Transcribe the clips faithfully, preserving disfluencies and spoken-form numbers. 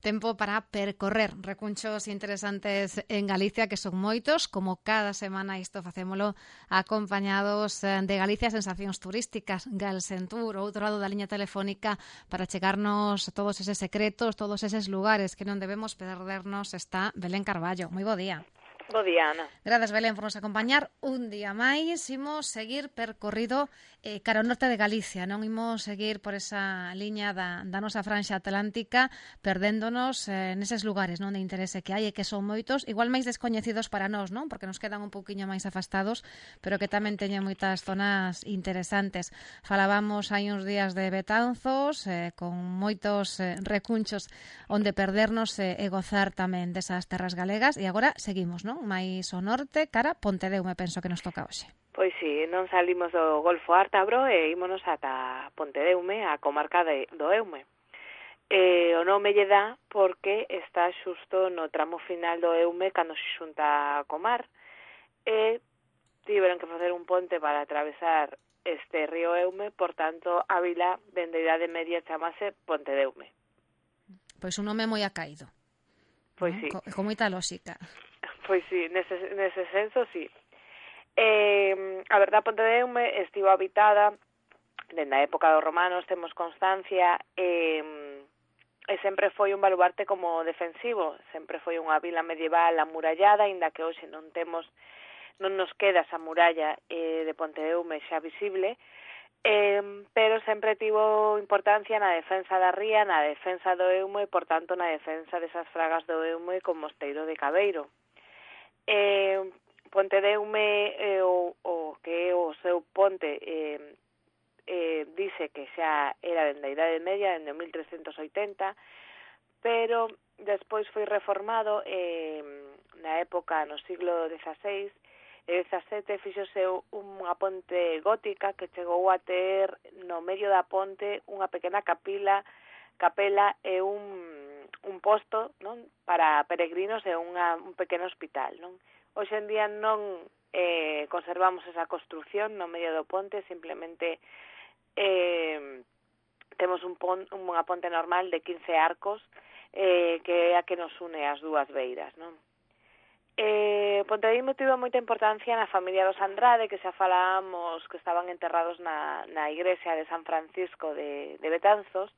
Tempo para percorrer recunchos interesantes en Galicia, que son moitos, como cada semana isto facémolo acompañados de Galicia Sensacións Turísticas, Galsentur, outro lado da liña telefónica, para chegarnos todos eses secretos, todos eses lugares que non debemos perdernos, está Belén Carballo. Moi bo día. Bo día, Ana. Grazas, Belén, por nos acompañar un día máis. Imos seguir percorrido eh, cara ao norte de Galicia, non imos seguir por esa liña da, da nosa franxa atlántica, perdéndonos eh, neses lugares non de interese que hai e que son moitos, igual máis descoñecidos para nós, non? Porque nos quedan un pouquiño máis afastados, pero que tamén teñen moitas zonas interesantes. Falábamos hai uns días de Betanzos, eh, con moitos eh, recunchos onde perdernos eh, e gozar tamén desas terras galegas, e agora seguimos, non? Mais ao norte, cara Pontedeume, penso que nos toca hoxe. Pois si, non salimos do Golfo Ártabro e ímonos ata Pontedeume, a comarca de, do Eume. E o nome lle dá porque está xusto no tramo final do Eume cando se xunta co mar, e tiveron que facer un ponte para atravesar este río Eume, por tanto, a vila dende a Idade Media chamase Pontedeume. Pois un nome moi acaído. Pois ¿no? si. Co, con moita lógica. Pois si, nese, nese senso, si. Eh, a verdad, Pontedeume estivo habitada dende a época dos romanos, temos constancia, eh, e sempre foi un baluarte como defensivo, sempre foi unha vila medieval amurallada, inda que hoxe non temos, non nos queda esa muralla eh, de Pontedeume xa visible, eh, pero sempre tivo importancia na defensa da ría, na defensa do Eume e, por tanto, na defensa desas fragas do Eume con Mosteiro de Cabeiro. Eh, Pontedeume eh, o, o que é o seu ponte eh, eh, dice que xa era dende a Idade Media, dende mil trescentos oitenta, pero despois foi reformado eh, na época, no siglo dieciséis e dezasete, fixose unha ponte gótica que chegou a ter no medio da ponte unha pequena capila, capela e un un posto, non, para peregrinos e unha, un pequeno hospital, non? Hoxe en día non eh, conservamos esa construción no medio do ponte, simplemente eh, temos un pon, unha ponte normal de quince arcos eh, que é a que nos une as dúas beiras, non? Eh, Pontedeume tivo moita importancia na familia dos Andrade, que xa falábamos que estaban enterrados na, na igrexa de San Francisco de, de Betanzos,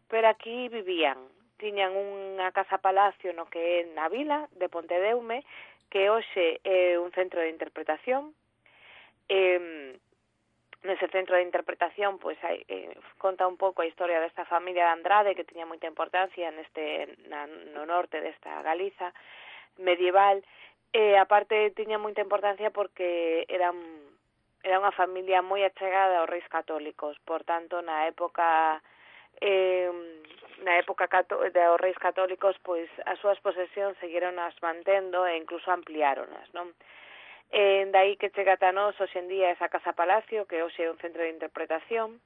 pero aquí vivían. Tiñan unha casa-palacio no que é na vila de Pontedeume, que hoxe é un centro de interpretación. Eh, nese centro de interpretación pois hai, eh, conta un pouco a historia desta familia de Andrade, que tiña moita importancia neste na, no norte desta Galiza medieval, e aparte tiña moita importancia porque eran era unha familia moi achegada aos reis católicos, por tanto na época eh, na época dos reis católicos, pois as súas posesións seguironas mantendo e incluso ampliáronas, non? E dai que chega ata nós hoxe en día esa casa palacio, que hoxe é un centro de interpretación.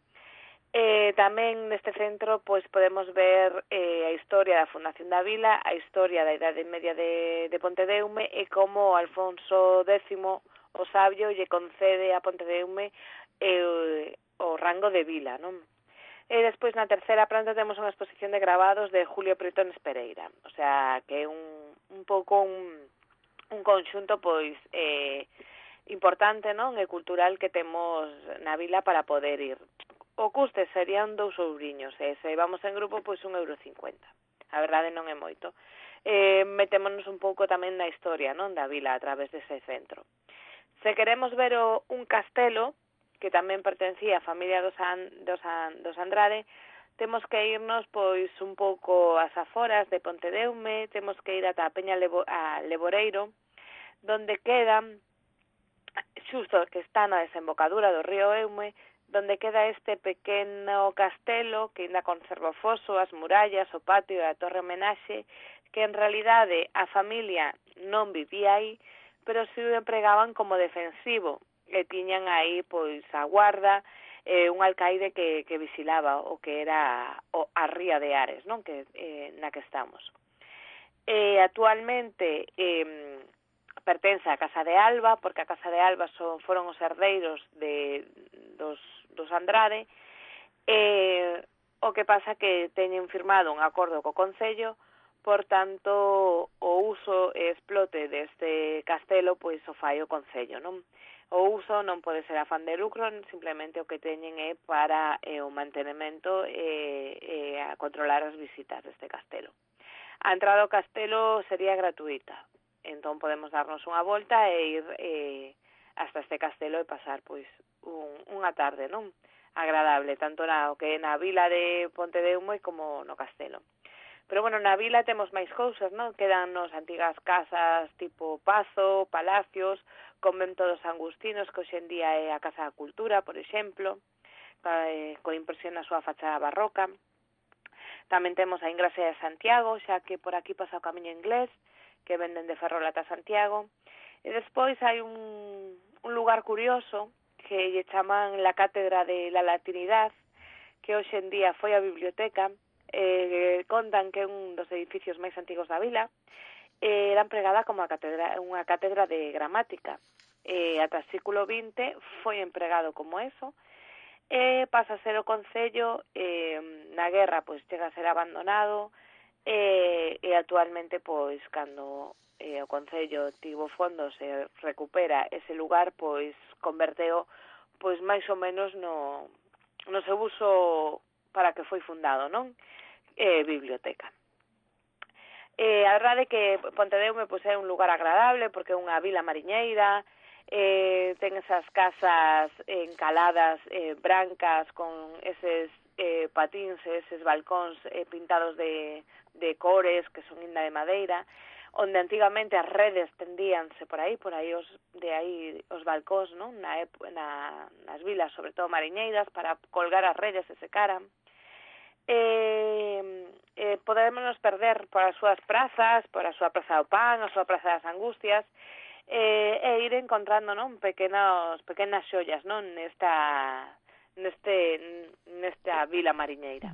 E tamén neste centro pois podemos ver eh, a historia da fundación da vila, a historia da Idade Media de, de Pontedeume e como Alfonso décimo o Sabio lle concede a Pontedeume eh, o rango de vila, non? E despois na terceira planta temos unha exposición de gravados de Julio Pretones Pereira, o sea, que é un, un pouco un, un conxunto pois eh, importante, non, e cultural que temos na vila para poder ir. O custe serían dous ouriños, e se vamos en grupo, pois un euro cincuenta. A verdade non é moito. Eh, metémonos un pouco tamén na historia, non, da vila a través dese centro. Se queremos ver o, un castelo, que tamén pertencía á familia dos, An, dos, An, dos Andrade, temos que irnos pois un pouco ás aforas de Pontedeume, temos que ir ata a Peña Levo, a Leboreiro, donde queda, xusto que está na desembocadura do río Eume, donde queda este pequeno castelo que ainda conserva o foso, as murallas, o patio e a torre homenaxe, que en realidade a familia non vivía aí, pero si o empregaban como defensivo, e tiñan aí pois a guarda, eh, un alcaide que, que vigilaba o que era o, a ría de Ares, non, que eh, na que estamos. Eh, actualmente eh, pertence á Casa de Alba, porque a Casa de Alba son, foron os herdeiros de, dos, dos Andrade, eh, o que pasa que teñen firmado un acordo co Concello por tanto, o uso e explote deste castelo pois o fai o Concello, non? O uso non pode ser afán de lucro, simplemente o que teñen é para eh, o mantenimento e, e a controlar as visitas deste castelo. A entrada ao castelo sería gratuita, entón podemos darnos unha volta e ir eh, hasta este castelo e pasar pois un, unha tarde, non? Agradable, tanto na que na vila de Pontedeume como no castelo. Pero, bueno, na vila temos máis cousas, non? Quedan nos antigas casas tipo Pazo, palacios, convento dos Angustinos, que hoxe en día é a Casa da Cultura, por exemplo, eh, con impresión na súa fachada barroca. Tamén temos a Ingrasea de Santiago, xa que por aquí pasa o camiño inglés, que venden de Ferrol ata Santiago. E despois hai un, un lugar curioso que lle chaman la Cátedra de la Latinidad, que hoxe en día foi a biblioteca. Eh, contan que é un dos edificios máis antigos da vila, eh, era empregada como a catedra, unha cátedra de gramática. Eh, ata o século vinte foi empregado como eso, e eh, pasa a ser o Concello, eh, na guerra pois chega a ser abandonado, e, eh, e actualmente pois cando eh, o Concello tivo fondos e recupera ese lugar, pois converteo pois máis ou menos no, no seu uso para que foi fundado, non? Eh, biblioteca. Eh, a verdade é que Pontedeume pois, é un lugar agradable porque é unha vila mariñeira, eh, ten esas casas encaladas eh, brancas con eses eh, patíns, eses balcóns eh, pintados de, de cores que son inda de madeira, onde antigamente as redes tendíanse por aí, por aí os, de aí os balcóns, non? Na, na, nas vilas, sobre todo mariñeiras, para colgar as redes e secaran. Eh, eh, podemos perder por as súas prazas, por a súa Praza do Pan, a súa Praza das Angustias, eh, e ir encontrando, non, pequenos, pequenas xollas, non, nesta, neste, nesta vila mariñeira.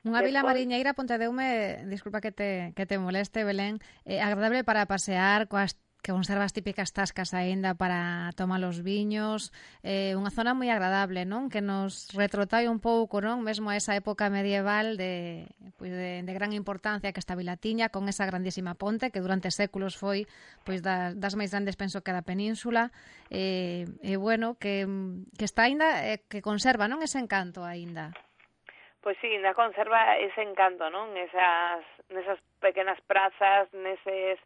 Unha vila mariñeira, Pontedeume, disculpa que te, que te moleste, Belén, eh, agradable para pasear, coas que conserva as típicas tascas aínda para tomar os viños, eh, unha zona moi agradable, non? Que nos retrotrae un pouco, non? Mesmo a esa época medieval de, pois de, de gran importancia que esta vila tiña, con esa grandísima ponte que durante séculos foi pois das, das máis grandes, penso, que da península, e, e bueno, que, que está aínda, eh, que conserva, non? Ese encanto aínda. Pois sí, ainda conserva ese encanto, non? Esas, nesas pequenas prazas, neses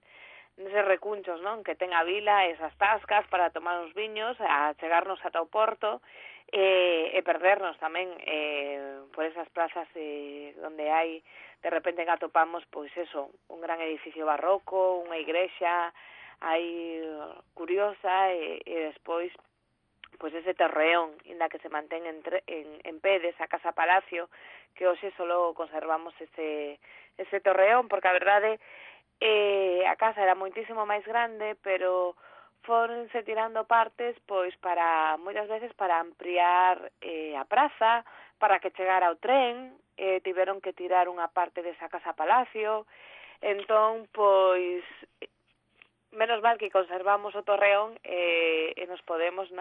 neses recunchos, non, que ten a vila, esas tascas para tomar uns viños, a chegarnos ata o porto e, e perdernos tamén eh, por esas plazas eh, onde hai, de repente atopamos, pois eso, un gran edificio barroco, unha igrexa aí curiosa e, e despois pois ese torreón, inda que se mantén en, en, en pé desa casa palacio, que hoxe solo conservamos ese, ese torreón, porque a verdade Eh, a casa era moitísimo máis grande, pero foronse tirando partes pois para moitas veces para ampliar eh, a praza, para que chegara o tren, eh, tiveron que tirar unha parte desa casa palacio, entón pois menos mal que conservamos o torreón eh, e nos podemos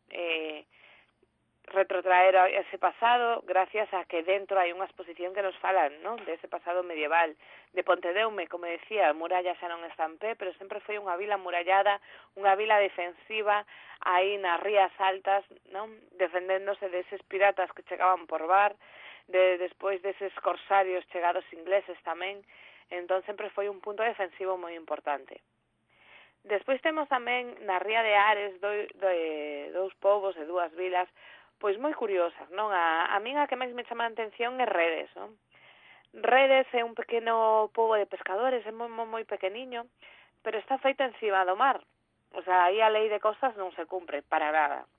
eh, retrotraer a ese pasado gracias a que dentro hai unha exposición que nos falan, non? De ese pasado medieval de Pontedeume, como decía, a muralla xa non está en pé, pero sempre foi unha vila murallada, unha vila defensiva aí nas rías altas, non? Defendéndose deses piratas que chegaban por bar, de despois deses corsarios chegados ingleses tamén, entón sempre foi un punto defensivo moi importante. Despois temos tamén na ría de Ares do, do, dous povos e dúas vilas pois moi curiosas, non? A, a min a que máis me chama a atención é Redes, non? Redes é un pequeno pobo de pescadores, é moi, moi, moi pequeniño, pero está feito encima do mar. O sea, aí a lei de costas non se cumpre para nada.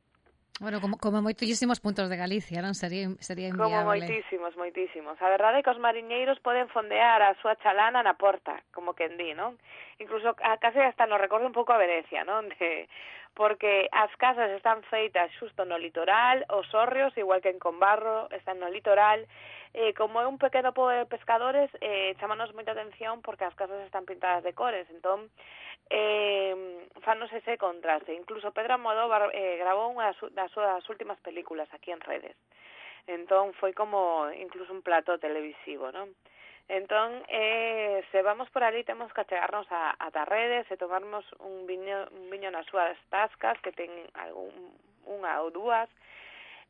Bueno, como, como moitísimos puntos de Galicia, non? Sería, sería inviable. Como moitísimos, moitísimos. A verdade é que os mariñeiros poden fondear a súa chalana na porta, como quen di, non? Incluso a case hasta nos recorda un pouco a Venecia, non? De, porque as casas están feitas xusto no litoral, os hórreos, igual que en Combarro, están no litoral. Eh, como é un pequeno pobo de pescadores, eh, chamanos moita atención porque as casas están pintadas de cores, entón eh, fanos ese contraste. Incluso Pedro Almodóvar eh, grabou unha das súas últimas películas aquí en Redes, entón foi como incluso un plató televisivo, non? Entón, eh, se vamos por ali temos que achegarnos a, a Tarredes e tomarnos un viño, un viño nas súas tascas que ten algún, unha ou dúas.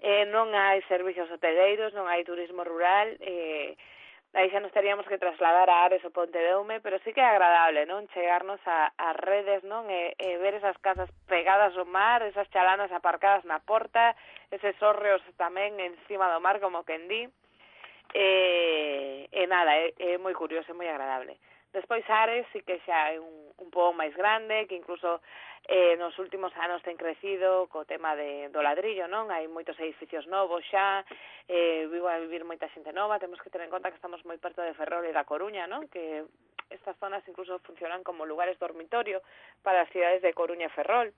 Eh, non hai servicios hoteleiros, non hai turismo rural, eh, aí xa nos teríamos que trasladar a Ares ou Pontedeume, pero sí que é agradable, non? Chegarnos a, a Redes, non? E, e ver esas casas pegadas ao mar, esas chalanas aparcadas na porta, eses hórreos tamén encima do mar, como quen di. E, e nada, é, é moi curioso, é moi agradable. Despois Ares sí que xa é un, un pouco máis grande, que incluso eh, nos últimos anos ten crecido co tema de, do ladrillo, non? Hai moitos edificios novos xa, eh, vivo a vivir moita xente nova, temos que ter en conta que estamos moi perto de Ferrol e da Coruña, non? Que estas zonas incluso funcionan como lugares dormitorio para as cidades de Coruña e Ferrol.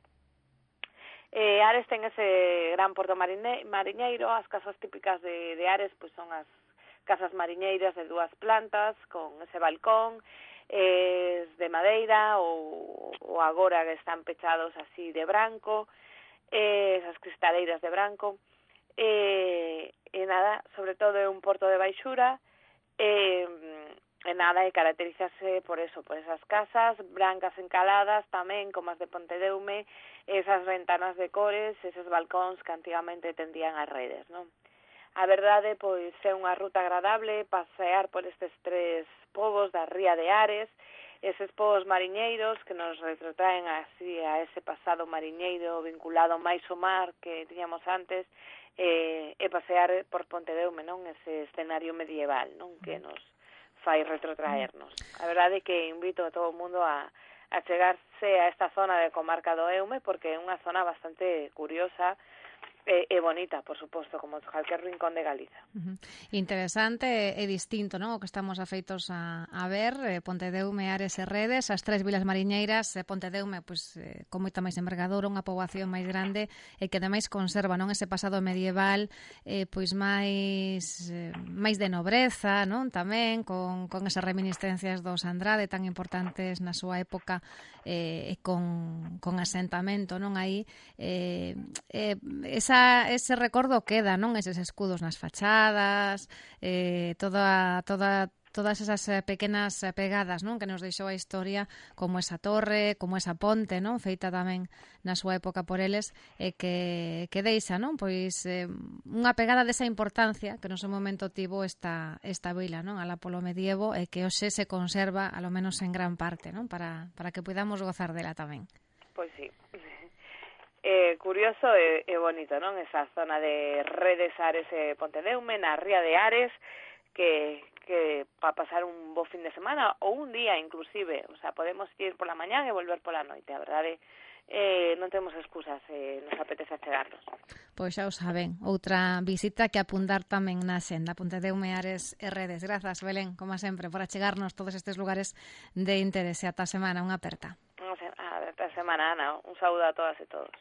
Eh, Ares ten ese gran porto marine, mariñeiro, as casas típicas de, de Ares pois son as casas mariñeiras de dúas plantas, con ese balcón, eh, de madeira ou, ou agora que están pechados así de branco, eh, esas cristaleiras de branco, eh, e nada, sobre todo é un porto de baixura, e, e nada, e caracterizase por eso, por esas casas brancas encaladas tamén, como as de Pontedeume, esas ventanas de cores, esos balcóns que antigamente tendían as redes, non? A verdade, pois, é unha ruta agradable pasear por estes tres povos da ría de Ares, eses povos mariñeiros que nos retrotraen así a ese pasado mariñeiro vinculado máis ao mar que tiñamos antes, e, e pasear por Pontedeume, non? Ese escenario medieval, non? Que nos fai retrotraernos. A verdade é que invito a todo o mundo a, a chegarse a esta zona de comarca do Eume, porque é unha zona bastante curiosa, E, e bonita, por suposto, como calquer rincón de Galiza. Uh-huh. Interesante e distinto, non? O que estamos afeitos a, a ver, eh, Pontedeume, Ares e Redes, as tres vilas mariñeiras, eh, Pontedeume, pois, eh, con moita máis envergadura, unha poboación máis grande, e que ademais conserva, non, ese pasado medieval, eh, pois máis eh, máis de nobreza, non? Tamén, con, con esas reminiscencias dos Andrade tan importantes na súa época, eh, e con, con asentamento, non? Aí, eh, eh, esa ese recordo queda, non? Eses escudos nas fachadas, eh, toda, toda, todas esas pequenas pegadas, non? Que nos deixou a historia, como esa torre, como esa ponte, non? Feita tamén na súa época por eles, e que, que deixa, non? Pois eh, unha pegada desa importancia que no seu momento tivo esta, esta vila, non? Alá polo medievo, e que hoxe se conserva, alo menos en gran parte, non? Para, para que podamos gozar dela tamén. Pois sí. Eh, curioso e, e bonito, non? Esa zona de Redes, Ares e Pontedeume, na ría de Ares, que, que para pasar un bo fin de semana, ou un día inclusive, o sea, podemos ir pola mañá e volver pola noite, a verdade, eh, non temos excusas, eh, nos apetece chegarnos. Pois xa o saben, outra visita que apuntar tamén na senda, Pontedeume, Ares e Redes. Grazas, Belén, como sempre, por achegarnos todos estes lugares de interese. Ata a semana, unha aperta. Ata a semana, Ana, un saúdo a todas e todos.